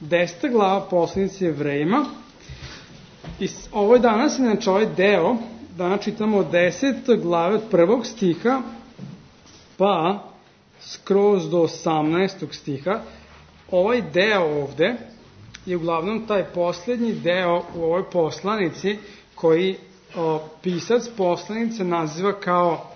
10. glava poslanice Jevrejima. I ovo je danas, inače ovaj deo, danas čitamo od 10. glave od 1. stiha, pa skroz do 18. stiha. Ovaj deo ovde je uglavnom taj poslednji deo u ovoj poslanici koji pisac poslanice naziva kao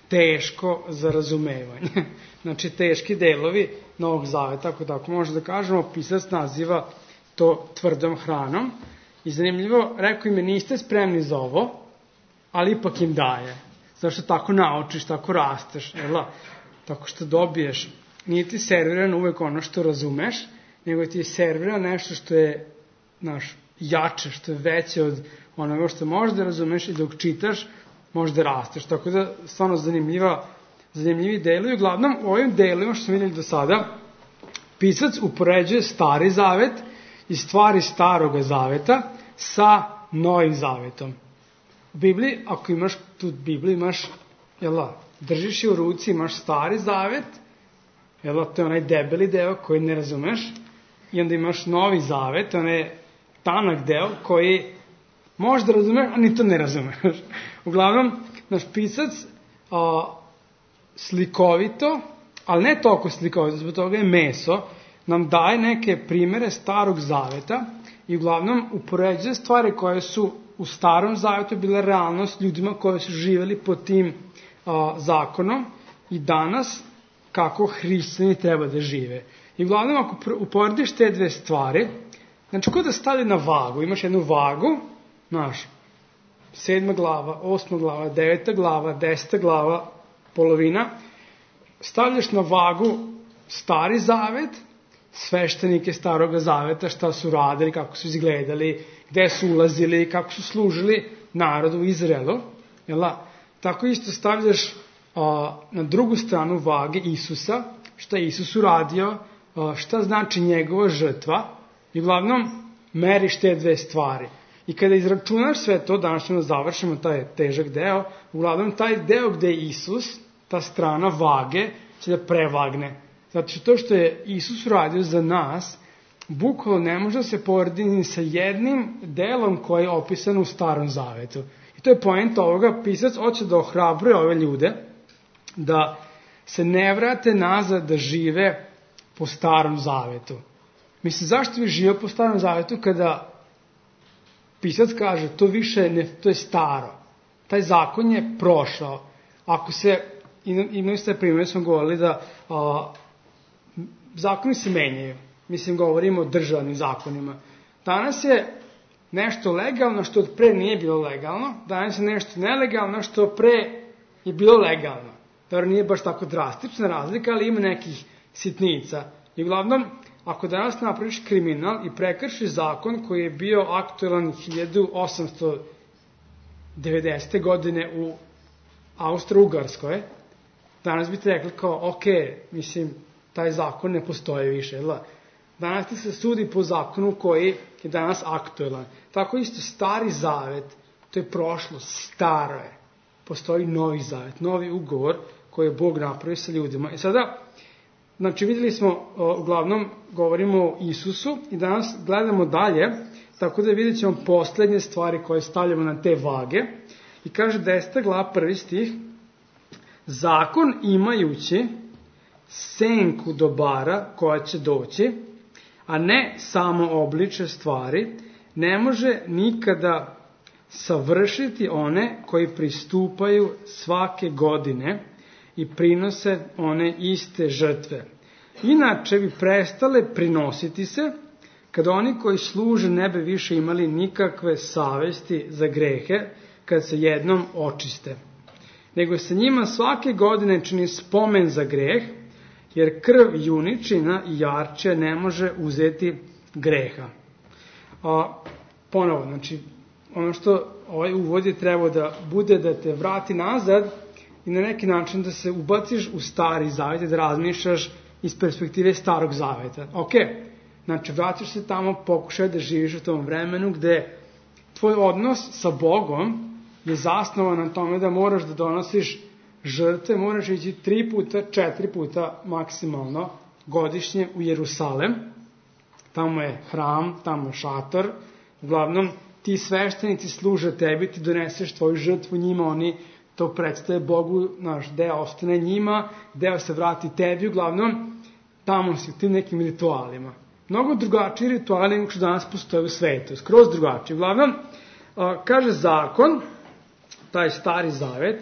teško za razumevanje. Znači, teški delovi Novog Zaveta, ako tako možemo da kažemo, pisac naziva to tvrdom hranom. I zanimljivo, rekao im je, niste spremni za ovo, ali ipak im daje. Zato što tako naučiš, tako rasteš, tako što dobiješ. Nije ti serviran uvek ono što razumeš, nego ti je serviran nešto što je jače, što je veće od onoga što možeš da razumeš i dok čitaš, možeš da rasteš. Tako da, stvarno zanimljivi delovi. Uglavnom, u ovim delima što smo vidjeli do sada, pisac upoređuje Stari Zavet i stvari Staroga Zaveta sa Novim Zavetom. U Bibliji, ako imaš tu Bibliju, imaš, držiš je u ruci, imaš Stari Zavet, to je onaj debeli deo koji ne razumeš, i onda imaš Novi Zavet, onaj tanak deo koji možeš da razumeš, a ni to ne razumeš. Uglavnom, naš pisac slikovito, ali ne toliko slikovito, zbog toga je meso, nam daje neke primere Starog Zaveta i uglavnom upoređuje stvari koje su u Starom Zavetu bile realnost ljudima koji su živjeli pod tim zakonom i danas kako hrišćani treba da žive. I uglavnom, ako uporediš te dve stvari, znači, ko da stavi na vagu, imaš jednu vagu, 7. glava, 8. glava, 9. glava, 10. glava, polovina, stavljaš na vagu Stari Zavet, sveštenike Staroga Zaveta, šta su radili, kako su izgledali, gde su ulazili, kako su služili narodu u Izraelu. Tako isto stavljaš na drugu stranu vage Isusa, šta je Isus uradio, šta znači njegova žrtva, i uglavnom meriš te dve stvari. I kada izračunaš sve to, danas ćemo završimo taj težak deo, uglavnom taj deo gde je Isus, ta strana vage, će da prevagne. Zato što to što je Isus uradio za nas, bukvalno ne može da se poredi ni sa jednim delom koji je opisan u Starom Zavetu. I to je poenta ovoga, pisac hoće da ohrabruje ove ljude, da se ne vrate nazad da žive po Starom Zavetu. Mislim, zašto bi živio po Starom Zavetu kada pisac kaže to više ne, to je staro. Taj zakon je prošao. Ako se, imali ste primjer, smo govorili da zakoni se menjaju. Mislim, govorimo o državnim zakonima. Danas je nešto legalno što od pre nije bilo legalno. Danas je nešto nelegalno što pre je bilo legalno. Dobro, nije baš tako drastična razlika, ali ima nekih sitnica. I uglavnom, ako danas napraviš kriminal i prekršiš zakon koji je bio aktualan 1890. godine u Austro-Ugarskoj, danas bi te rekli kao, ok, mislim, taj zakon ne postoji više. Danas ti se sudi po zakonu koji je danas aktualan. Tako isto Stari Zavet, to je prošlo, staro je. Postoji Novi Zavet, novi ugovor koji je Bog napravio sa ljudima. I sada, znači, vidjeli smo, uglavnom, govorimo o Isusu i danas gledamo dalje, tako da vidjet ćemo poslednje stvari koje stavljamo na te vage. I kaže 10. glava 1. stih, zakon imajući senku dobara koja će doći, a ne samo obliče stvari, ne može nikada savršiti one koji pristupaju svake godine i prinose one iste žrtve. Inače bi prestale prinositi se, kada oni koji služe ne bi više imali nikakve savesti za grehe, kad se jednom očiste. Nego se njima svake godine čini spomen za greh, jer krv juničina i jarče ne može uzeti greha. Ponovo, znači, ono što ovaj uvod je trebao da bude da te vrati nazad i na neki način da se ubaciš u Stari Zavet i da razmišljaš iz perspektive Starog Zaveta. Ok, znači vratiš se tamo, pokušaj da živiš u tom vremenu gde tvoj odnos sa Bogom je zasnovan na tome da moraš da donosiš žrtve, moraš ići 3 puta, 4 puta maksimalno godišnje u Jerusalem tamo je hram, tamo je šator, uglavnom ti sveštenici služe tebi, ti doneseš tvoju žrtvu njima, oni to predstave Bogu, naš deo ostane njima, deo se vrati tebi, uglavnom tamo si u tim nekim ritualima. Mnogo drugačiji rituali nego što danas postoje u svetu, skroz drugačiji. Uglavnom, kaže zakon, taj stari zavet,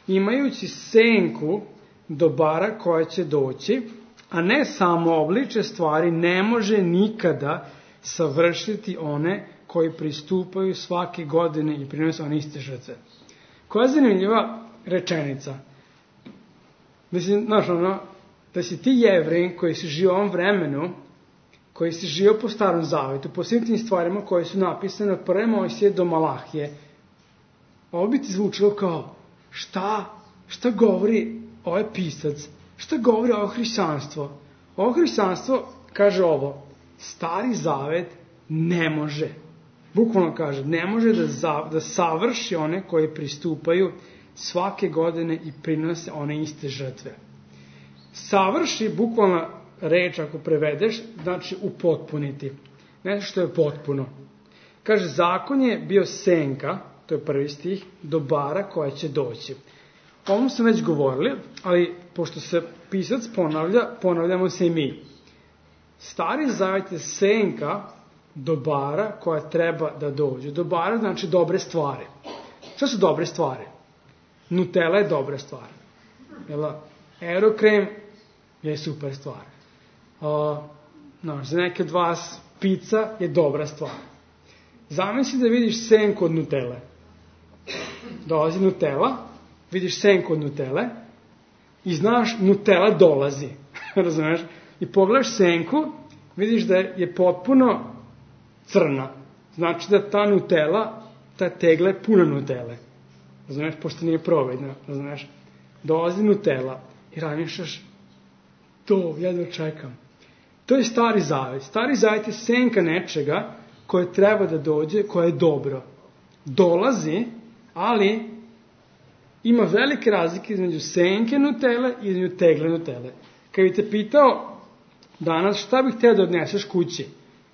imajući senku dobara koja će doći, a ne samo obliče stvari, ne može nikada savršiti one koji pristupaju svake godine i prinose one iste žrtve. Koja zanimljiva rečenica. Mislim, znaš, da si ti Jevrej koji si žio u ovom vremenu, koji si žio po starom zavetu, po svim tim stvarima koje su napisane od prve Mojsije do Malahije, ovo bi ti zvučilo kao, šta govori ovaj pisac, šta govori ovo hrišćanstvo? Ovo hrišćanstvo kaže ovo, stari zavet ne može, bukvalno kaže, ne može da savrši one koji pristupaju svake godine i prinose one iste žrtve. Savrši, bukvalna reč ako prevedeš, znači upotpuniti. Nešto što je potpuno. Kaže, zakon je bio senka, to je prvi stih, dobara koja će doći. O ovom smo već govorili, ali pošto se pisac ponavljamo se i mi. Stari zavet je senka dobara koja treba da dođe. Dobara znači dobre stvari. Šta su dobre stvari? Nutella je dobra stvar. Aerokrem je super stvar. Za neke od vas pizza je dobra stvar. Zamisli da vidiš senku od Nutelle. Dolazi Nutella, vidiš senku od Nutelle i znaš Nutella dolazi. Razumeš? I pogledaš senku, vidiš da je potpuno crna. Znači da ta Nutella, ta tegla je puna Nutelle. Razumeš? Pošto nije provedna. Razumeš? Dolazi Nutella i razmišljaš, to jedno čekam. To je stari zavet. Stari zavet je senka nečega koje treba da dođe, koje je dobro. Dolazi, ali ima velike razlike između senke Nutelle i između tegle Nutelle. Kad bi te pitao danas šta bih htio da odneseš kući,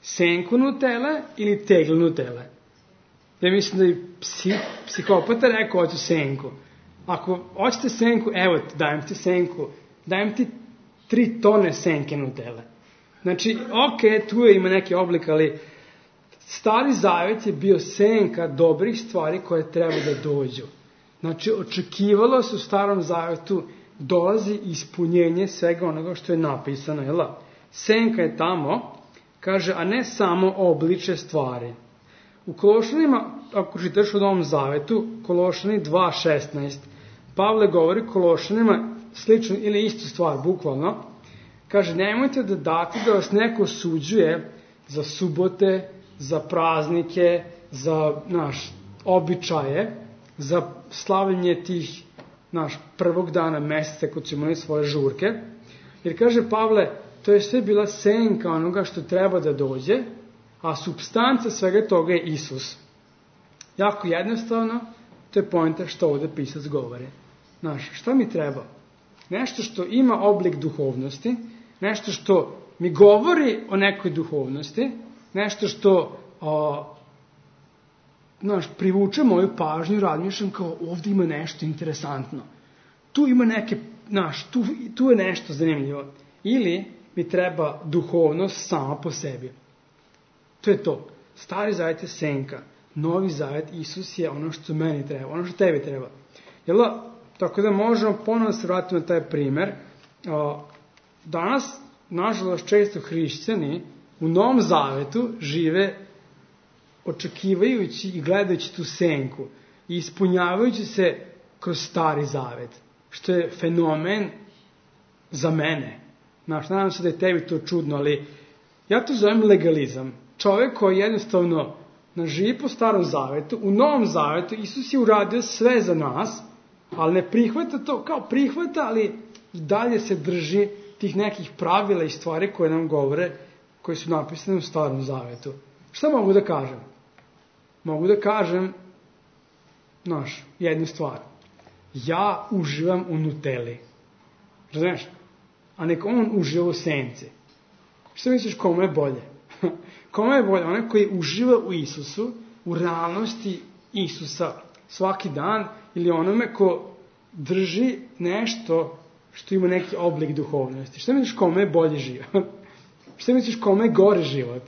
senku Nutelle ili tegle Nutelle? Ja mislim da je psihopata rekao hoću senku. Ako hoćete senku, evo ti, dajem ti senku, dajem ti 3 tone senke Nutelle. Znači, tu ima neki oblik, ali stari zavet je bio senka dobrih stvari koje treba da dođu. Znači, očekivalo se u starom zavetu dolazi ispunjenje svega onoga što je napisano. Jel? Senka je tamo, kaže, a ne samo obliče stvari. U Kološanima, ako čitaš u Novom zavetu, Kološani 2.16, Pavle govori Kološanima slično ili istu stvar, bukvalno. Kaže, nemojte da date da vas neko osuđuje za subote, za praznike, za običaje, za slavljenje tih prvog dana meseca kod su imali svoje žurke. Jer kaže Pavle, to je sve bila senka onoga što treba da dođe, a supstanca svega toga je Isus. Jako jednostavno, to je poenta što ovde pisac govori. Šta mi treba? Nešto što ima oblik duhovnosti, nešto što mi govori o nekoj duhovnosti, nešto što privuče moju pažnju, razmišljam kao ovde ima nešto interesantno. Tu ima neke, tu je nešto zanimljivo. Ili mi treba duhovnost sama po sebi. To je to. Stari zavet je senka. Novi zavet, Isus je ono što meni treba, ono što tebi treba. Tako da možemo ponovno se vratiti na taj primer. Danas, nažalost, često hrišćani u Novom zavetu žive očekivajući i gledajući tu senku i ispunjavajući se kroz stari zavet, što je fenomen za mene. Nadam se da je tebi to čudno, ali ja to zovem legalizam. Čovjek koji jednostavno živi po starom zavetu, u Novom zavetu Isus je uradio sve za nas, ali ne prihvata to, kao prihvata, ali i dalje se drži tih nekih pravila i stvari koje nam govore, koje su napisane u starom zavetu. Šta mogu da kažem? Mogu da kažem, jednu stvar. Ja uživam u Nutelli. Razumiješ? A nek on uživa u senci. Šta misliš kome je bolje? Kome je bolje? Onaj koji uživa u Isusu, u realnosti Isusa svaki dan, ili onome ko drži nešto što ima neki oblik duhovnosti. Šta misliš kome je bolji život? Šta misliš kome je gore život?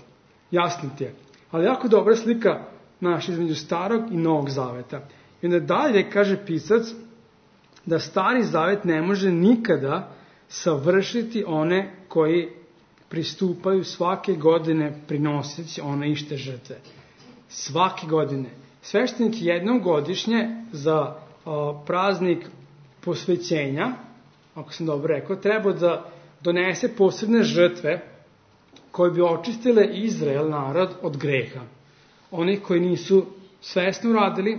Jasno ti je. Ali jako dobra slika naša između starog i novog zaveta. I onda dalje kaže pisac da stari zavet ne može nikada savršiti one koji pristupaju svake godine prinoseći one iste žrtve. Svake godine. Sveštenik jednom godišnje za praznik posvećenja, ako sam dobro rekao, treba da donese posebne žrtve koje bi očistile Izrael, narod, od greha. Oni koji nisu svesno radili,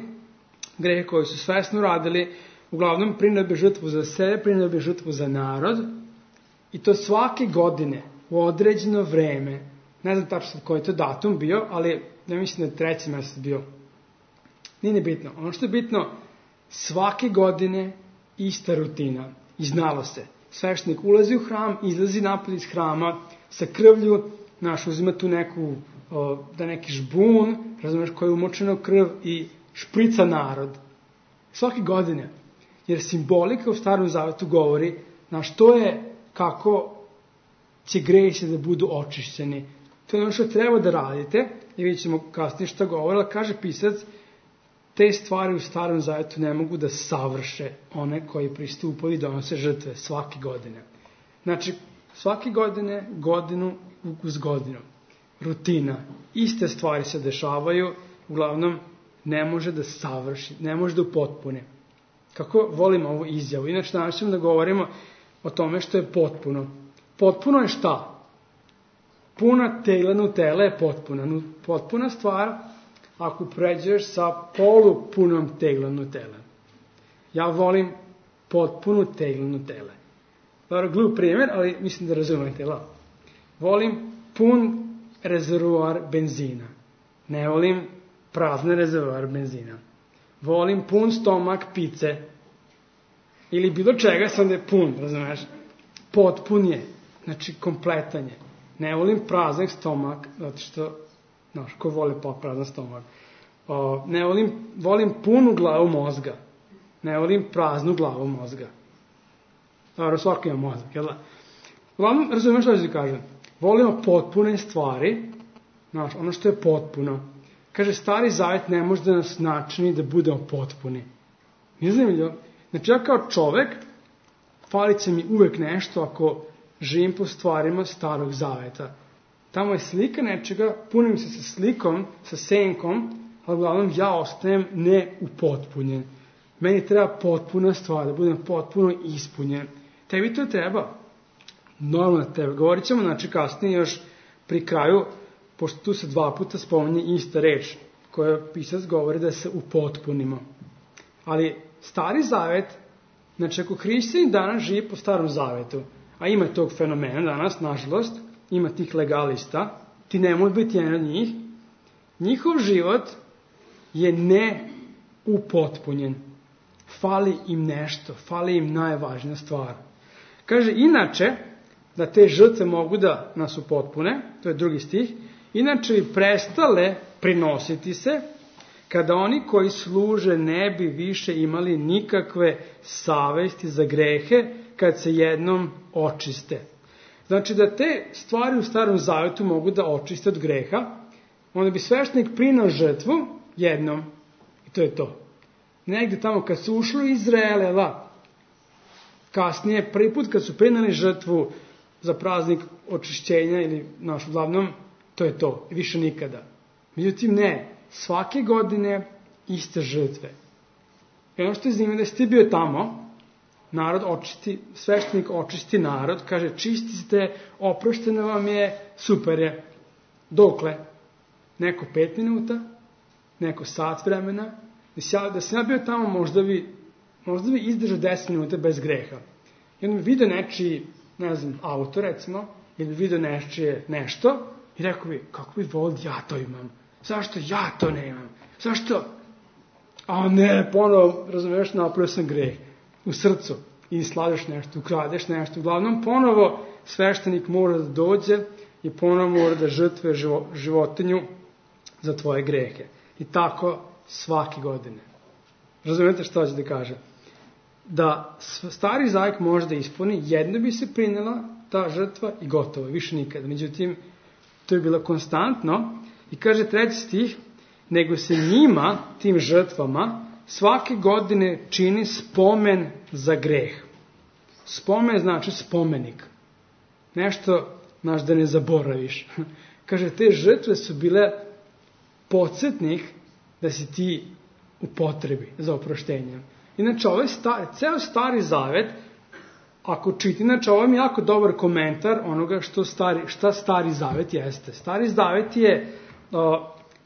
grehe koji su svesno radili, uglavnom prineo bi žrtvu za sebe, prineo bi žrtvu za narod, i to svake godine, u određeno vreme. Ne znam tačno koji je to datum bio, ali ja mislim da je 3. mesec bio. Nije bitno. Ono što je bitno, svake godine ista rutina. I znalo se. Sveštenik ulazi u hram, izlazi napolje iz hrama, sa krvlju, uzima tu neki žbun, razumeš, koji je umočeno krv i šprica narod. Svake godine. Jer simbolika u Starom zavetu govori, to je kako će gresi da budu očišćeni. To je ono što treba da radite, i vidjet ćemo kasnije šta govori, ali kaže pisac, te stvari u Starom zavetu ne mogu da savrše one koji pristupaju i donose žrtve svake godine. Znači, svake godine, godinu uz godinu. Rutina. Iste stvari se dešavaju, uglavnom ne može da savrši, ne može da upotpune. Kako volim ovu izjavu. Inače, danas ćemo da govorimo o tome što je potpuno. Potpuno je šta? Puna tegla Nutelle je potpuna. Potpuna stvar ako pređeš sa polupunom teglom Nutelle. Ja volim potpunu teglu Nutelle. Dobro, glup primjer, ali mislim da razumete. Volim pun rezervoar benzina. Ne volim prazne rezervoar benzina. Volim pun stomak pice. Ili bilo čega sam da je pun, razumeš? Potpun je. Znači, kompletan je. Ne volim prazan stomak, zato što, ko voli prazan stomak. Volim punu glavu mozga. Ne volim praznu glavu mozga. Dobro, svako ima mozak, jel da? Uglavnom, razumiješ što ću kažem? Volimo potpune stvari, ono što je potpuno. Kaže, Stari zavet ne može da nas načini da budemo potpuni. Ne znam li? Znači, ja kao čovek, falit će mi uvek nešto ako živim po stvarima Starog zaveta. Tamo je slika nečega, punim se sa slikom, sa senkom, ali uglavnom ja ostajem neupotpunjen. Meni treba potpuna stvar, da budem potpuno ispunjen. Tebi to treba. Normalno tebe. Govorit ćemo, znači kasnije još pri kraju, pošto tu se 2 puta spominje ista reč, koja pisac govori da se upotpunimo. Ali Stari zavet, znači ako hrišćanin danas živi po Starom zavetu, a ima tog fenomena danas, nažalost, ima tih legalista, ti ne može biti jedan od njih, njihov život je neupotpunjen. Fali im nešto, fali im najvažnija stvar. Kaže, inače, da te žrtve mogu da nas upotpune, to je 2. stih, inače bi prestale prinositi se, kada oni koji služe ne bi više imali nikakve savesti za grehe, kad se jednom očiste. Znači da te stvari u Starom zavetu mogu da očiste od greha, onda bi sveštenik prineo žrtvu jednom, i to je to. Negde tamo kad su ušli u Izrael, kasnije, prvi put kad su prineli žrtvu za praznik očišćenja, ili uglavnom, to je to, više nikada. Međutim, ne, svake godine iste žrtve. I ono što je zanimljivo da si ti bio tamo, narod očisti, sveštenik očisti narod, kaže, čisti ste, oprošteno vam je, super je. Dokle? Neko 5 minuta, neko sat vremena. Da sam ja bio tamo, možda bi izdržao 10 minuta bez greha. I onda bi vidio nečiji, ne znam, auto recimo, ili bi vidio nečije nešto, i rekao bi, kako bi volio ja to imam? Zašto ja to nemam? Zašto? A ne, ponovo, razumiješ, napravio sam greh u srcu. I sladeš nešto, ukradeš nešto. Uglavnom, ponovo, sveštenik mora da dođe i ponovo mora da žrtvuje životinju za tvoje grehe. I tako svake godine. Razumete što ću da kažem? Da stari zavet može da ispuni, jedno bi se prinela ta žrtva i gotovo, više nikada. Međutim, to je bilo konstantno i kaže 3. stih, nego se njima, tim žrtvama, svake godine čini spomen za greh. Spomen znači spomenik. Nešto, znaš, da ne zaboraviš. Kaže, te žrtve su bile podsjetnik da si ti u potrebi za oproštenjem. Inače, ceo stari zavet, ako čiti, inače, ovo je jako dobar komentar onoga šta stari zavet jeste. Stari zavet je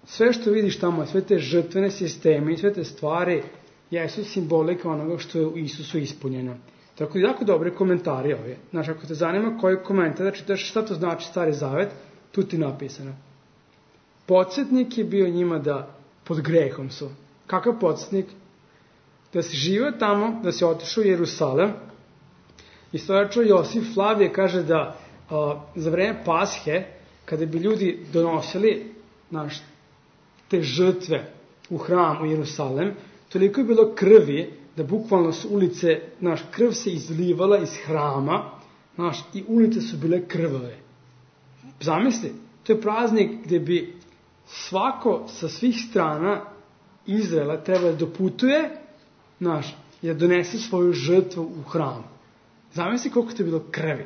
sve što vidiš tamo, sve te žrtvene sisteme i sve te stvari jesu simbolika onoga što je u Isusu ispunjeno. Tako da jako dobre komentari ove. Znači, ako te zanima koji komentar, da čitaš šta to znači stari zavet, tu ti napisano. Podsjetnik je bio njima da pod grehom su. Kakav podsjetnik? Da si živio tamo, da si otišao u Jerusalem. Istoričar Josif Flavije kaže da za vreme Pashe, kada bi ljudi donosili te žrtve u hram u Jerusalem, toliko je bilo krvi da bukvalno su ulice, krv se izlivala iz hrama, i ulice su bile krvave. Zamisli, to je praznik gdje bi svako sa svih strana Izraela treba da doputuje, i da donese svoju žrtvu u hram. Zamisli koliko to je bilo krvi.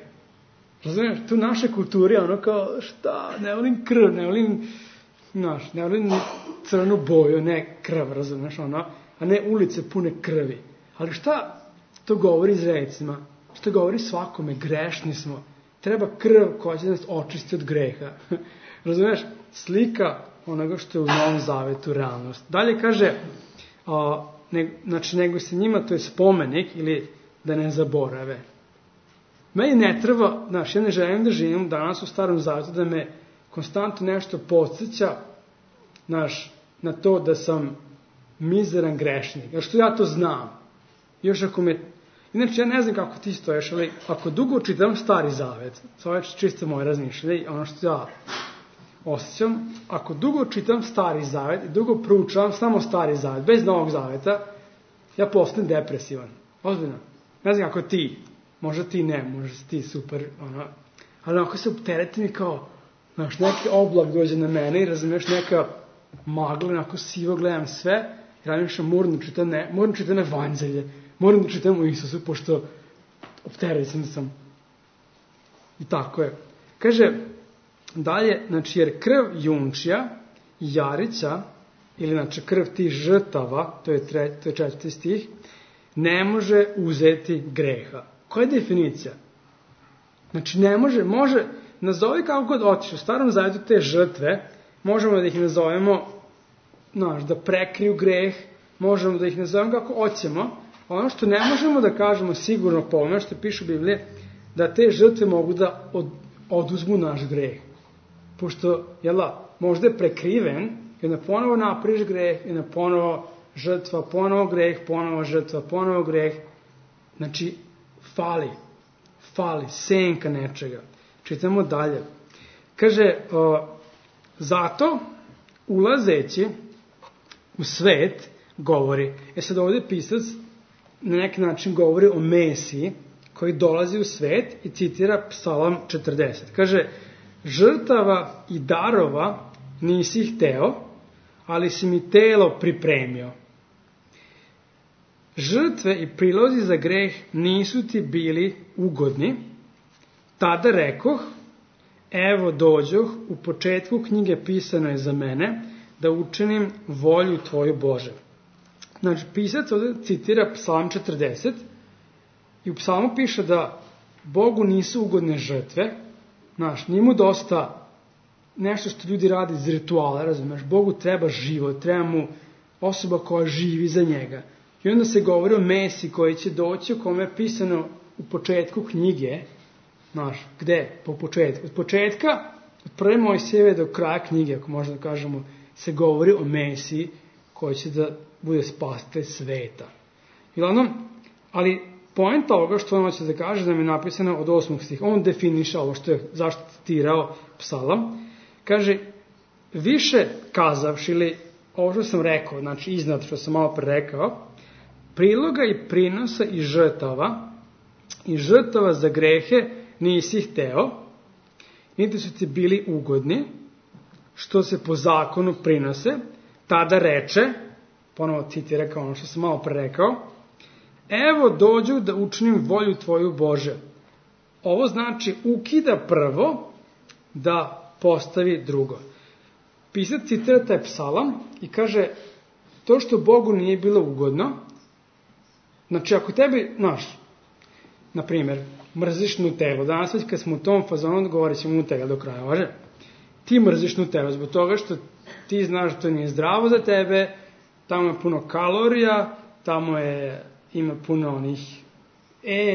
Razumiješ, tu naše kulturi, kao, šta, ne volim krv, ne volim crnu boju, ne krv, razumiješ, a ne ulice pune krvi. Ali šta to govori Izraelcima? Što govori svakome, grešni smo. Treba krv koja će nas očisti od greha. Razumiješ? Slika onoga što je u Novom Zavetu realnost. Dalje kaže, nego se njima, to je spomenik ili da ne zaborave. Meni ne treba, ja ne želim da živim danas u Starom Zavetu, da me konstantno nešto podsjeća, na to da sam mizeran grešnik. Jer što ja to znam. Inače, ja ne znam kako ti stoješ, ali ako dugo čitam Stari Zavet, to je čisto moje razmišljanje, ono što ja osjećam, ako dugo čitam Stari Zavet i dugo proučavam samo Stari Zavet, bez Novog Zaveta, ja postanem depresivan. Ozbiljno. Ne znam kako ti, možda ti ne, možda si ti super, ali ako se opteretim i kao, neki oblak dođe na mene i razumiješ neka magla, onako sivo gledam sve, i razmišljam, moram čitam evanđelje, moram da čitam u Isusu, pošto opterećen sam. I tako je. Kaže, dalje, jer krv junčija i jarića, ili krv tih žrtava, to je 4. stih, ne može uzeti greha. Koja je definicija? Ne može, nazovi kako god otiš. U Starom Zavetu te žrtve, možemo da ih nazovemo, da prekriju greh, možemo da ih nazovemo kako hoćemo. Ono što ne možemo da kažemo sigurno po ono što piše u Bibliji, da te žrtve mogu da oduzmu naš greh. Pošto, možda je prekriven, i onda ponovo napriš greh, i onda ponovo žrtva, ponovo greh, ponovo žrtva, ponovo greh. Znači, fali, senka nečega. Čitamo dalje. Kaže, zato, ulazeći u svet, govori. Sad ovdje pisac na neki način govori o Mesiji, koji dolazi u svet i citira Psalam 40. Kaže, žrtava i darova nisi hteo, ali si mi telo pripremio. Žrtve i prilozi za greh nisu ti bili ugodni. Tada rekoh, evo dođoh, u početku knjige pisano je za mene, da učinim volju tvoju Bože. Znači, pisac ovdje citira Psalam 40 i u Psalmu piše da Bogu nisu ugodne žrtve, nije mu dosta nešto što ljudi radi iz rituala, razumiješ, Bogu treba život, treba mu osoba koja živi za njega. I onda se govori o Mesiji koji će doći, o kome je pisano u početku knjige, gde? Po početku. Od početka, od prve Mojsijeve do kraja knjige, ako možda kažemo, se govori o Mesiji koji će da bude spasitelj sveta. Ali Poenta ovoga što on hoće da kaže, da mi je napisano od 8. stiha, on definiše ovo što je zašto citirao psalam, kaže, više kazavši, ili ovo što sam rekao, znači iznad što sam malo pre rekao, priloga i prinosa i žrtava za grehe nisi hteo, niti su ti bili ugodni, što se po zakonu prinose, tada reče, ponovo citira kao ono što sam malo pre rekao, evo dođu da učinim volju tvoju Bože. Ovo znači ukida prvo da postavi drugo. Pisac citira taj psalam i kaže, to što Bogu nije bilo ugodno, znači ako tebi, na primjer, mrziš Nutellu, danas već kad smo u tom fazonu, govorit ćemo Nutella do kraja, važe? Ti mrziš Nutellu zbog toga što ti znaš da to nije zdravo za tebe, tamo je puno kalorija, tamo ima puno onih,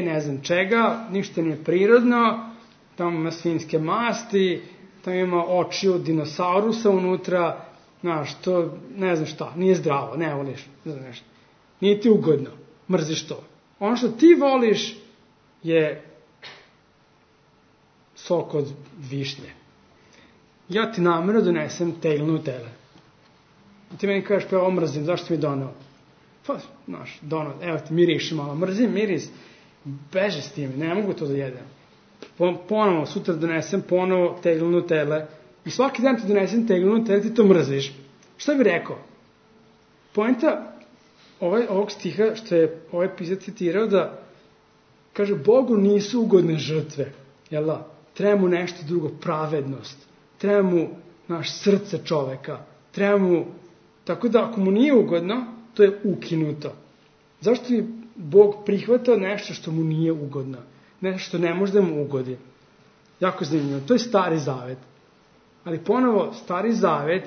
ne znam čega, ništa nije prirodno, tamo ima svinjske masti, tamo ima oči od dinosaurusa unutra, to ne znam šta, nije zdravo, ne voliš, ne znam nešto. Nije ti ugodno, mrziš to. Ono što ti voliš je sok od višnje. Ja ti namjerno donesem tegl Nutelle. Ti meni kažeš, pa ovo mrzim, zašto mi donao? Pa, donao, evo ti miriši malo, mrzim miris, beže s tim, ne mogu to da jedem. Ponovo, sutra donesem ponovo tegl Nutelle i svaki dan ti donesem tegl Nutelle, ti to mrziš. Šta bi rekao? Poenta ovog stiha što je ovaj pisac citirao da kaže, Bogu nisu ugodne žrtve, jel da? Treba mu nešto drugo, pravednost, treba mu srce čoveka, treba mu, tako da ako mu nije ugodno, to je ukinuto. Zašto bi Bog prihvatao nešto što mu nije ugodno? Nešto što ne može da mu ugodi. Jako zanimljivo. To je Stari Zavet. Ali ponovo, Stari Zavet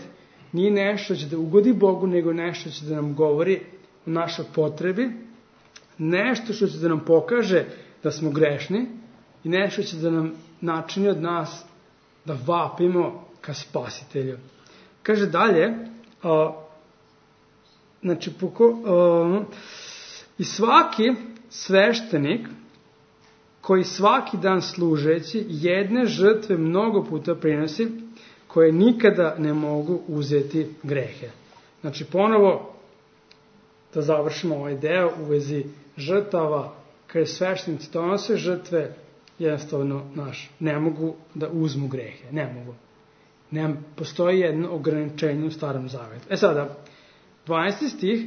nije nešto što će da ugodi Bogu, nego nešto što će da nam govori o našoj potrebi, nešto što će da nam pokaže da smo grešni i nešto će da nam načini od nas da vapimo ka Spasitelju. Kaže dalje, i svaki sveštenik koji svaki dan služeći jedne žrtve mnogo puta prinosi, koje nikada ne mogu uzeti grehe. Znači ponovo, da završimo ovaj deo u vezi žrtava, kada sveštenici donose žrtve, jednostavno ne mogu da uzmu grehe. Ne mogu. Postoji jedno ograničenje u Starom Zavetu. Sada, 12. stih,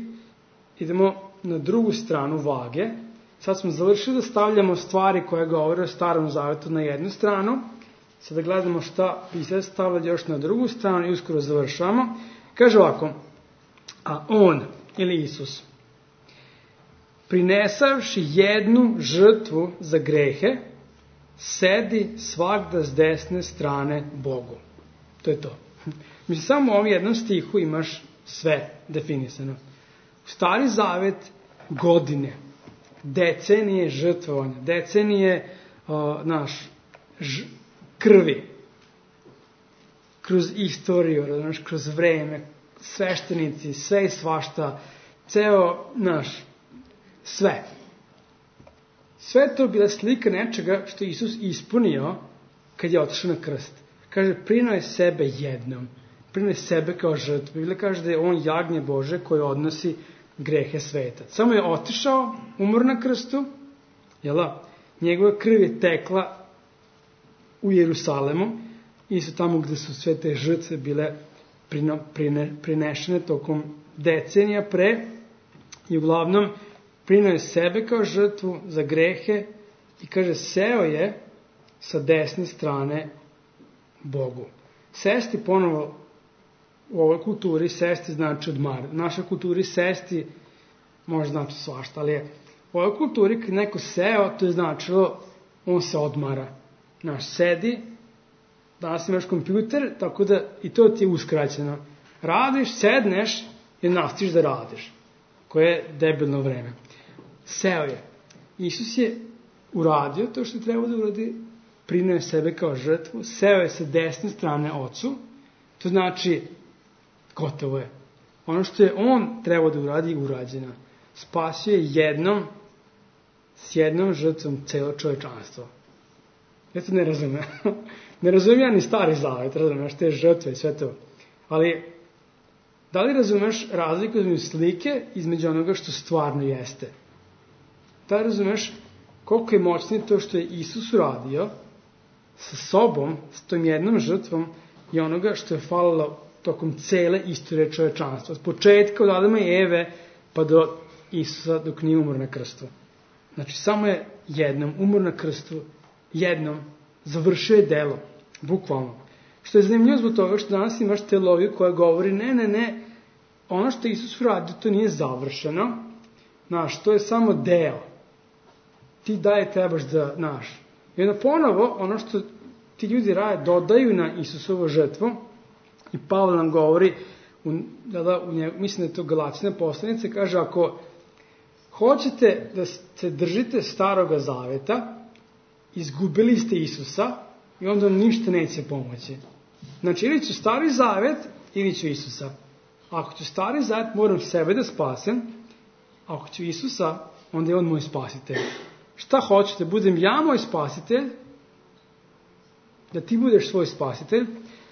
idemo na drugu stranu vage. Sad smo završili da stavljamo stvari koje govore o Starom Zavetu na jednu stranu. Sada gledamo šta pisac stavlja još na drugu stranu i uskoro završavamo. Kaže ovako, a on, ili Isus, prinesavši jednu žrtvu za grehe, sedi svagda s desne strane Bogu. To je to. Mislim, samo u ovom jednom stihu imaš sve definisano. U Stari Zavet godine, decenije žrtvovanja, decenije krvi, kroz istoriju, kroz vreme, sveštenici, sve i svašta, ceo sve. Sve to bila slika nečega što je Isus ispunio kad je otišao na krst. Kaže, prinuo je sebe jednom. Prinuo je sebe kao žrtvu. Biblia kaže da je on jagnje Bože koje odnosi grehe sveta. Samo je otišao, umor na krstu, njegova krv je tekla u Jerusalemu, isto tamo gde su sve te žrtve bile prinešene tokom decenija pre, i uglavnom prinuo je sebe kao žrtvu za grehe i kaže, seo je sa desne strane Bogu. Sesti ponovo u ovoj kulturi, sesti znači odmarati. U našoj kulturi sesti može znači svašta, ali je u ovoj kulturi kad neko seo, to je značilo on se odmara. Sedi, danas imaš kompjuter, tako da i to ti je uskraćeno. Radiš, sedneš i nastaviš da radiš. Koje je debilno vreme. Seo je. Isus je uradio to što je trebao da uradi, prinuo je sebe kao žrtvu, seo je sa desne strane Ocu, to znači gotovo je. Ono što je on trebao da uradi je urađeno. Spasio je jednom s jednom žrtvom celo čovečanstvo. Ja to ne razumem. Ne razumem ja ni Stari Zavet, razumeš te žrtve i sve to. Ali, da li razumeš razliku između slike između onoga što stvarno jeste? Da li razumeš koliko je moćnije to što je Isus uradio sa sobom, s tom jednom žrtvom i onoga što je falilo tokom cele istorije čovečanstva. Od početka od Adama i Eve pa do Isusa dok nije umro na krstu. Znači, samo je jednom umro na krstu, jednom završio je delo, bukvalno. Što je zanimljivo zbog toga što danas imaš teologiju koja govori ne, ono što Isus uradio to nije završeno, znaš, to je samo deo. Ti dalje trebaš da, znaš. I onda ponovo, ono što ti ljudi rade, dodaju na Isusovu žrtvu, i Pavle nam govori, mislim da je to Galačina poslanica, kaže, ako hoćete da se držite Staroga Zaveta, izgubili ste Isusa i onda vam ništa neće pomoći. Znači, ili ću Stari Zavet, ili ću Isusa. Ako ću Stari Zavet, moram sebe da spasim, ako ću Isusa, onda je on moj spasitelj. Šta hoćete, budem ja moj spasitelj, da ti budeš svoj spasitelj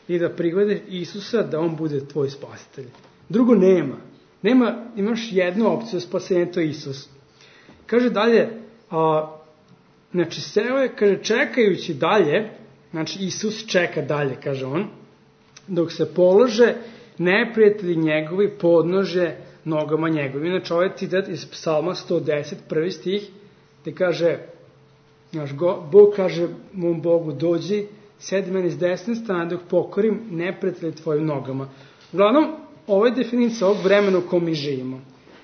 i da prihvatiš Isusa da on bude tvoj spasitelj. Drugo nema. Imaš jednu opciju spasenja, to je Isus. Kaže dalje, znači seo je, kaže, čekajući dalje, znači Isus čeka dalje, kaže on, dok se polože neprijatelji njegovi podnože nogama njegovi. Inače, ovaj citat iz Psalma 110, prvi stih, gde kaže, Bog kaže mom Bogu, dođi, sedi meni s desne strane dok pokorim neprijatelje tvojim nogama. Uglavnom, ovo je definicija ovog vremena u kom mi živimo.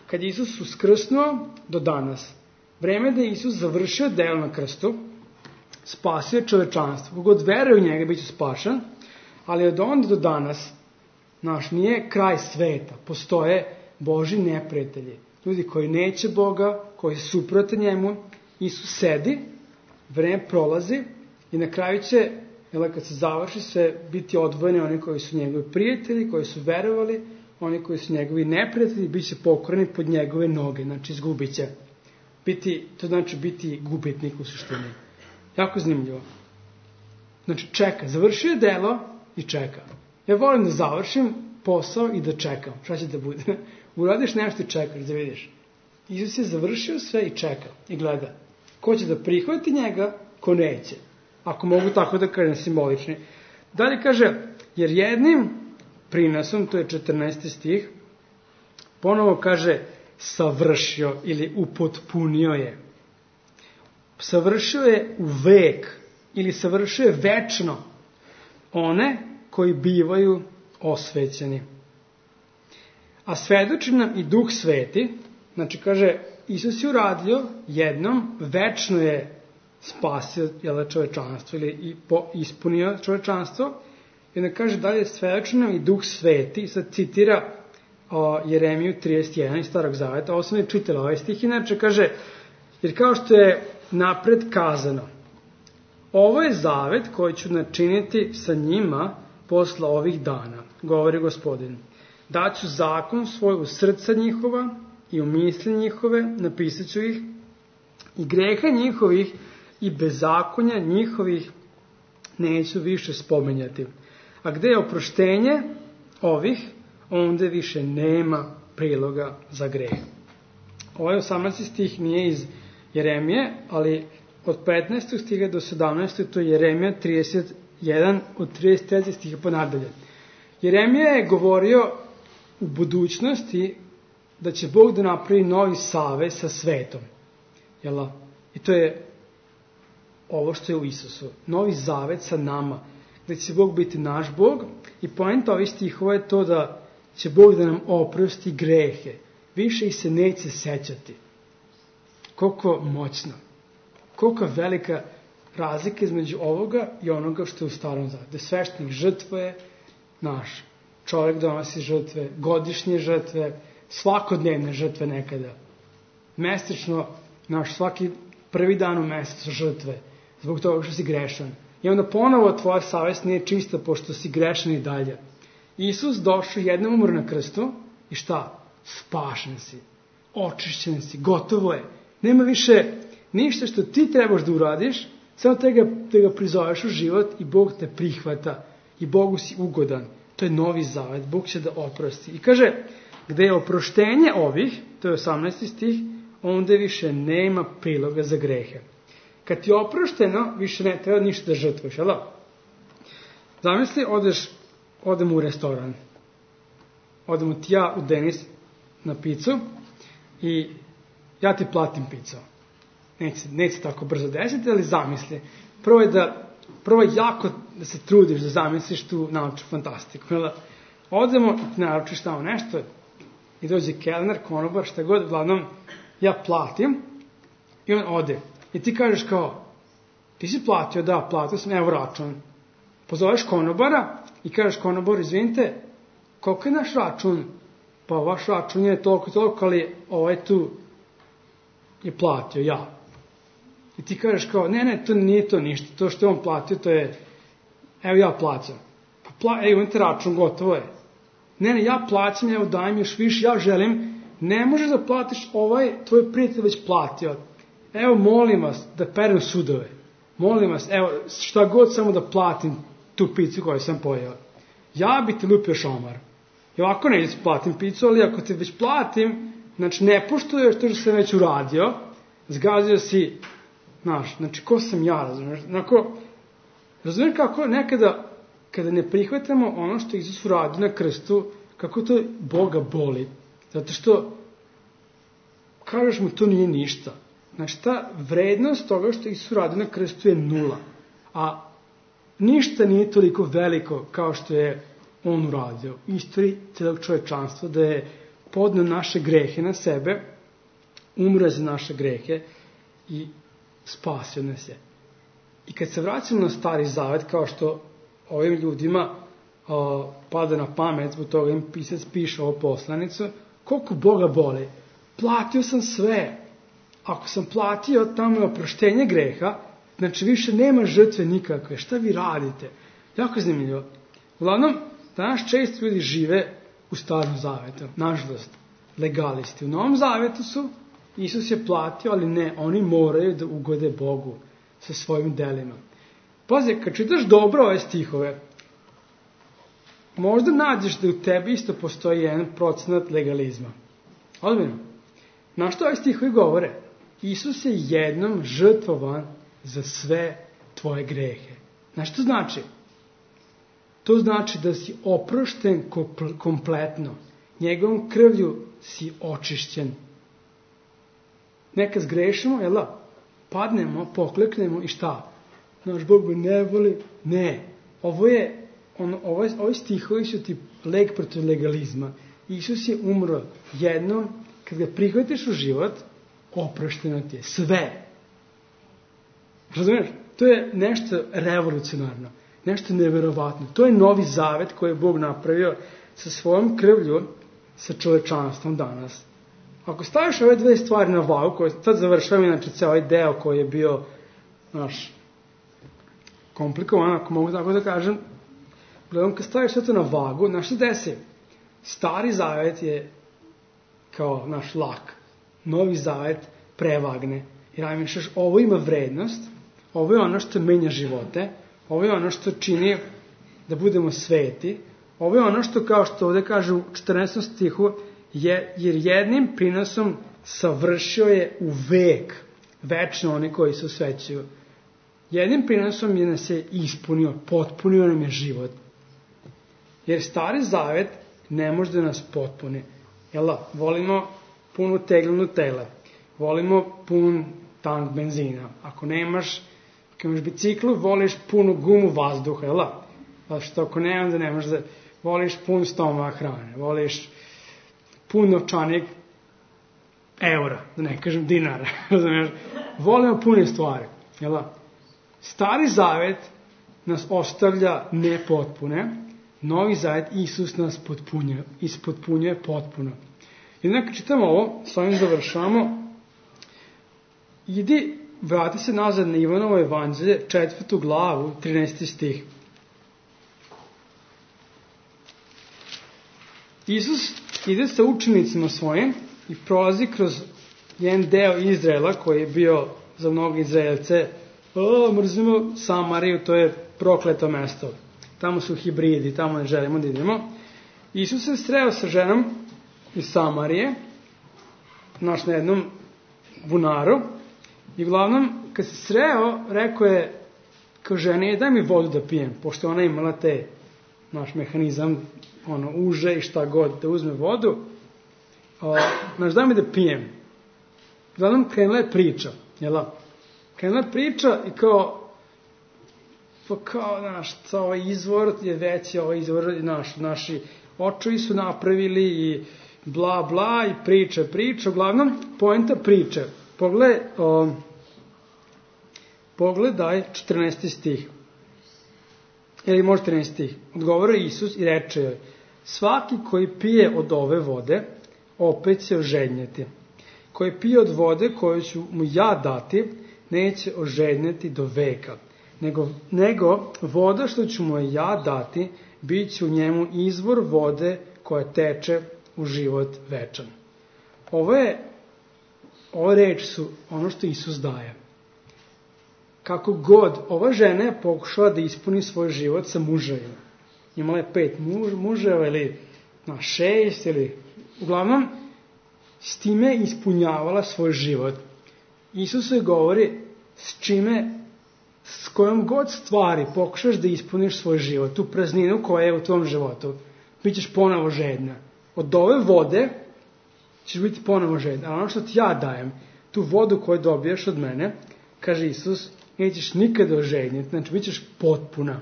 Kad je Isus uskrsnuo do danas, vreme da je Isus završio delo na krstu, spasio čovečanstvo. Kogod veruje u njega, bit će spašan, ali od onda do danas, nije kraj sveta. Postoje Božji neprijatelji. Ljudi koji neće Boga, koji su suprote njemu. Isus sedi, vreme prolazi i na kraju će, kad se završi sve, biti odvojeni oni koji su njegovi prijatelji, koji su verovali, oni koji su njegovi neprijatelji, bit će pokoreni pod njegove noge, znači izgubit će. To znači biti gubitnik u suštini. Jako zanimljivo. Znači čeka, završio je delo i čeka. Ja volim da završim posao i da čekam. Šta će da bude? Uradiš nešto i čekaš, da vidiš. Isus je završio sve i čeka i gleda. Ko će da prihvati njega, ko neće. Ako mogu tako da kažem simbolični. Dalje kaže, jer jednim prinosom, to je 14. stih, ponovo kaže savršio ili upotpunio je. Savršio je u vek ili savršio je večno one koji bivaju osvećeni. A svedoči nam i Duh Sveti, znači kaže, Isus je uradio jednom, večno je spasio čovečanstvo ili ispunio čovečanstvo. I onda kaže dalje, svedoči nam i Duh Sveti, sad citira Jeremiju 31 iz Starog Zaveta, ovo sam je čitala ovaj stih, inače kaže, jer kao što je napred kazano, ovo je zavet koji ću načiniti sa njima posle ovih dana, govori Gospodin. Daću zakon svoj u srca njihova i u misli njihove, napisat ću ih, i greha njihovih i bezakonja njihovih neću više spominjati. A gde je oproštenje ovih, onda više nema priloga za greh. Ovaj 18. stih nije iz Jeremije, ali od 15. stiha do 17. to je Jeremija 31 od 33. stiha pa nadalje. Jeremija je govorio u budućnosti da će Bog da napravi novi savez sa svetom. Jel? I to je ovo što je u Isusu. Novi zavet sa nama. Da će Bog biti naš Bog. I poenta ovih stihova je to da će Bog da nam oprosti grehe. Više ih se neće sećati. Koliko moćno. Koliko velika razlika između ovoga i onoga što je u Starom Zavetu. Da sveštenik žrtvuje naš. Čovjek donosi žrtve, godišnje žrtve, svakodnevne žrtve nekada. Mesečno, svaki prvi dan u mesecu žrtve. Zbog toga što si grešan. I onda ponovo tvoja savest nije čista pošto si grešan i dalje. Isus došao jednom umro na krstu i šta? Spašen si. Očišćen si. Gotovo je. Nema više Ništa što ti trebaš da uradiš, samo te ga prizoveš u život i Bog te prihvata i Bogu si ugodan. To je novi zavet, Bog će da oprosti. I kaže, gde je oproštenje ovih, to je 18. stih, onda više nema priloga za grehe. Kad ti je oprošteno, više ne treba ništa da žrtvuješ, jel da? Zamisli, odem u restoran. Odemo ti ja u Denis na picu i ja ti platim picu. Neće tako brzo desiti, ali zamisli. Prvo je jako da se trudiš da zamisliš tu naučnu fantastiku. Odemo i ti naručiš tamo nešto i dođe kelner, konobar, šta god, uglavnom ja platim i on ode. I ti kažeš kao, ti si platio, da, platio sam, evo račun. Pozoveš konobara i kažeš konobar, izvinite, koliko je naš račun? Pa vaš račun je toliko, ali ovaj tu je platio, ja. I ti kažeš kao, ne, to nije to ništa, to što je on platio, to je, evo ja plaćam. Pa evo imate račun, gotovo je. Ne, ja plaćam, evo daj mi još više, ja želim, ne možeš da platiš tvoj prijatelj već platio. Evo molim vas da perem sudove, molim vas, evo šta god samo da platim tu picu koju sam pojeo. Ja bi ti lupio šomar. I ovako neću platim picu, ali ako te već platim, znači ne poštuješ to što sam već uradio, zgazio si, znači ko sam ja, razumiješ? Razumiješ kako nekada, kada ne prihvatamo ono što Isus uradio na krstu, kako to Boga boli. Zato što, kažeš mu, to nije ništa. Znači, ta vrednost toga što Isus uradio na krstu je 0. A ništa nije toliko veliko kao što je on uradio. U istoriji celog čovečanstva, da je podneo naše grehe na sebe, umre za naše grehe i spasio nas je. I kad se vraćamo na Stari Zavet, kao što ovim ljudima pada na pamet, zbog toga im pisac piše ovo poslanicu, koliko Boga boli. Platio sam sve. Ako sam platio, tamo je oproštenje greha, znači više nema žrtve nikakve. Šta vi radite? Jako zanimljivo. Uglavnom, danas često ljudi žive u Starom Zavetu. Nažalost, legalisti. U Novom Zavetu su, Isus je platio, ali ne, oni moraju da ugode Bogu sa svojim delima. Pazi, kad čitaš dobro ove stihove, možda nađeš da u tebi isto postoji 1% legalizma. Odmjeno. Na što ove stihovi govore? Isus je jednom žrtvovan za sve tvoje grehe. Znaš što znači? To znači da si oprošten kompletno. Njegovom krvlju si očišćen. Nekad zgrešimo, jel da? Padnemo, pokleknemo i šta? Naš Bog me ne voli. Ne. Ovi stihovi su ti leg protiv legalizma. Isus je umro jednom, kad ga prihvatiš u život, oprošteno ti je. Sve. Razumiješ? To je nešto revolucionarno. Nešto neverovatno. To je novi zavet koji je Bog napravio sa svojom krvlju, sa čovečanstvom danas. Ako staviš ove dve stvari na vagu, koje sad završavam, inače ceo ovaj deo koji je bio komplikovan, ako mogu tako da kažem, gledam, kad staviš sve to na vagu, znaš što desi? Stari zavet je kao naš lak. Novi zavet prevagne. Jer najmišljaš, ovo ima vrednost, ovo je ono što menja živote, ovo je ono što čini da budemo sveti, ovo je ono što, kao što ovdje kaže u 14. stihu, jer jednim prinosom savršio je u vek večno oni koji se osvećuju. Jednim prinosom je nas je ispunio, potpunio nam je život. Jer Stari Zavet ne može da nas potpuni. Volimo punu teglu Nutelle, volimo pun tank benzina. Ako nemaš biciklu, voliš punu gumu vazduha, što ako ne, onda ne možeš da voliš pun stomak hrane, voliš pun novčanik eura, da ne kažem dinara. Volimo pune stvari. Stari Zavet nas ostavlja nepotpune, Novi Zavet Isus nas ispotpunjuje potpuno. I nekako čitamo ovo, s ovim završamo. Vrati se nazad na Ivanovo evanđelje, 4. glavu, 13. stih. Isus ide sa učenicima svojim i prolazi kroz jedan deo Izraela koji je bio za mnogi Izraelce, mrzimo Samariju, to je prokleto mesto. Tamo su hibridi, tamo ne želimo da idemo. Isus se sreo sa ženom iz Samarije, na jednom bunaru, i uglavnom, kad se sreo, rekao je, kao ženi, daj mi vodu da pijem, pošto ona imala mehanizam, uže i šta god, da uzme vodu, daj mi da pijem. Uglavnom, krenula je priča, Krenula je priča i ovaj izvor je veći, ovaj izvor naši očevi su napravili i bla bla i priča, uglavnom, poenta priče. Pogledaj 14. stih. Ili možda 13. stih. Odgovara Isus i reče joj, svaki koji pije od ove vode, opet će ožednjeti. Koji pije od vode koju ću mu ja dati, neće ožednjeti do veka. Nego voda što ću mu ja dati, bit će u njemu izvor vode koja teče u život večan. Ove reči su ono što Isus daje. Kako god, ova žena je pokušala da ispuni svoj život sa muževima. Imala je 5 muževa ili 6 ili... Uglavnom, s time je ispunjavala svoj život. Isus joj govori s kojom god stvari pokušaš da ispuniš svoj život, tu prazninu koja je u tvom životu, bit ćeš ponovo žedna. Od ove vode ćeš biti ponovo žedna. A ono što ti ja dajem, tu vodu koju dobiješ od mene, kaže Isus, nećeš nikada ožednjeti, znači bit ćeš potpuna.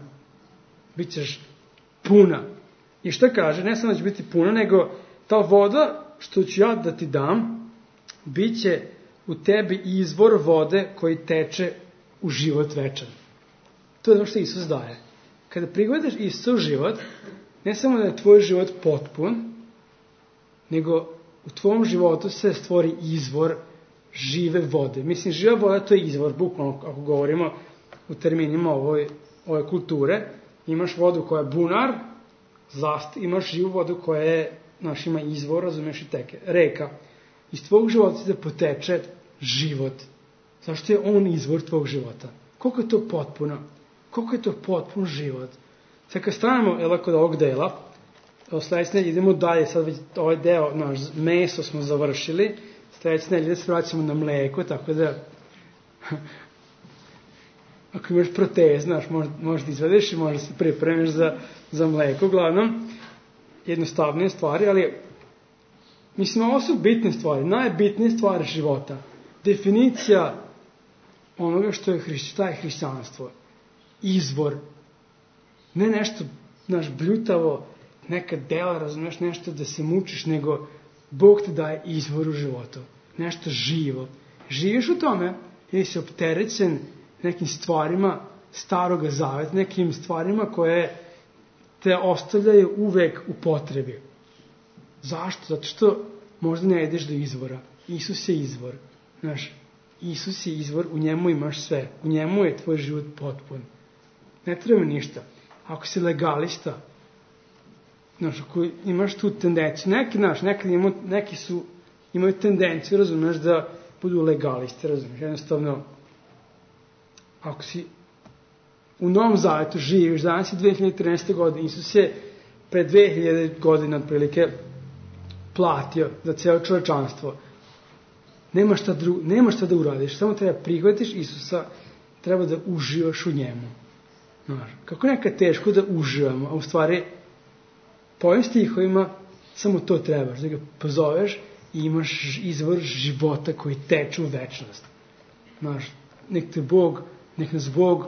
Bit ćeš puna. I šta kaže? Ne samo da će biti puna, nego ta voda što ću ja da ti dam, bit će u tebi izvor vode koji teče u život večan. To je ono što Isus daje. Kada prihvataš Isusov život, ne samo da je tvoj život potpun, nego u tvom životu se stvori izvor žive vode. Mislim, živa voda to je izvor, bukvalno ako govorimo u terminima ove kulture. Imaš vodu koja je bunar, imaš živu vodu koja je, ima izvor, razumeš, i teke, reka. Iz tvog života se poteče život. Zašto je on izvor tvog života? Koliko je to potpuno? Koliko je to potpun život? Sad kad stanemo kod ovog dela, sledeće nedelje idemo dalje, sad već ovaj deo, meso smo završili, sledeće nedelje se vraćamo na mleko, tako da ako imaš protez, možeš da izvedeš i možeš da se pripremiš za mleko, uglavnom, jednostavnije stvari, ali mislim, ovo su bitne stvari, najbitnije stvari života. Definicija onoga što je hrišćanstvo. Izvor. Ne nešto, bljutavo, neka dela, razumeš, nešto da se mučiš, nego Bog te daje izvor u životu. Nešto živo. Živiš u tome ili si opterećen nekim stvarima staroga zaveta, nekim stvarima koje te ostavljaju uvek u potrebi. Zašto? Zato što možda ne ideš do izvora. Isus je izvor. Isus je izvor, u njemu imaš sve. U njemu je tvoj život potpun. Ne treba ništa. Ako si legalista, ako imaš tu tendenciju, neki imaju tendenciju, razumeš, da budu legalisti, razumeš, jednostavno, ako si u Novom Zavetu živiš, danas je 2013. godine, Isus je pre 2000 godina otprilike platio za celo čovečanstvo. Nema šta da uradiš, samo treba prihvatiš Isusa, treba da uživaš u njemu. Kako nekad teško da uživamo, a u stvari po ovim stihovima samo to trebaš, da ga pozoveš i imaš izvor života koji teče u večnost. Nek nas Bog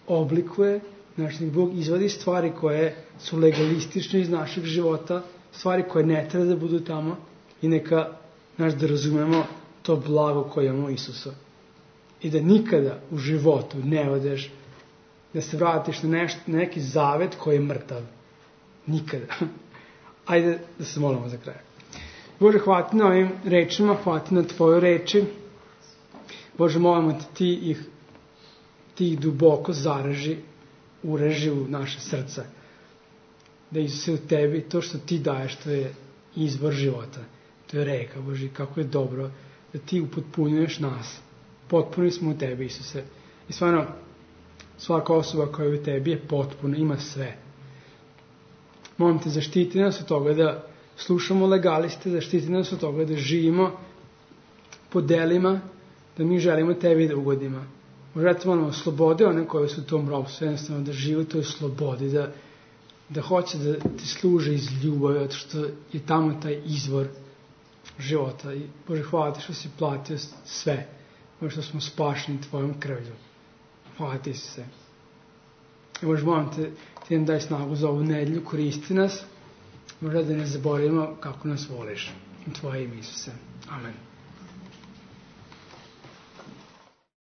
oblikuje, nek Bog izvadi stvari koje su legalistične iz našeg života, stvari koje ne treba da budu tamo i neka da razumemo to blago koje imamo Isusa. I da nikada u životu ne odeš, da se vratiš na neki zavet koji je mrtav. Nikada. Ajde da se molimo za kraj. Bože, hvala ti na ovim rečima, hvala ti na tvoje reči. Bože, molimo ti ih duboko zaraži, ureži u naše srce. Da Isuse u tebi, to što ti daješ, to je izvor života. To je reka, Bože, kako je dobro da ti upotpunjuješ nas. Potpuni smo u tebi, Isuse. I stvarno, svaka osoba koja je u tebi je potpuna, ima sve. Molim te, zaštiti nas od toga da slušamo legaliste, zaštiti nas od toga da živimo po delima, da mi želimo tebi da ugodimo. Možda te molimo, slobode one koje su u tom ropstvu, jednostavno da žive u toj slobodi, da hoće da ti služe iz ljubavi, zato što je tamo taj izvor života. I Bože, hvala ti što si platio sve, Bože, što smo spašeni tvojom krvlju. Hvala ti se. I Bože, molim te, ti nam daj snagu za ovu nedelju, koristi nas, možda da ne zaboravimo kako nas voliš. U tvoje ime, Isuse. Amen.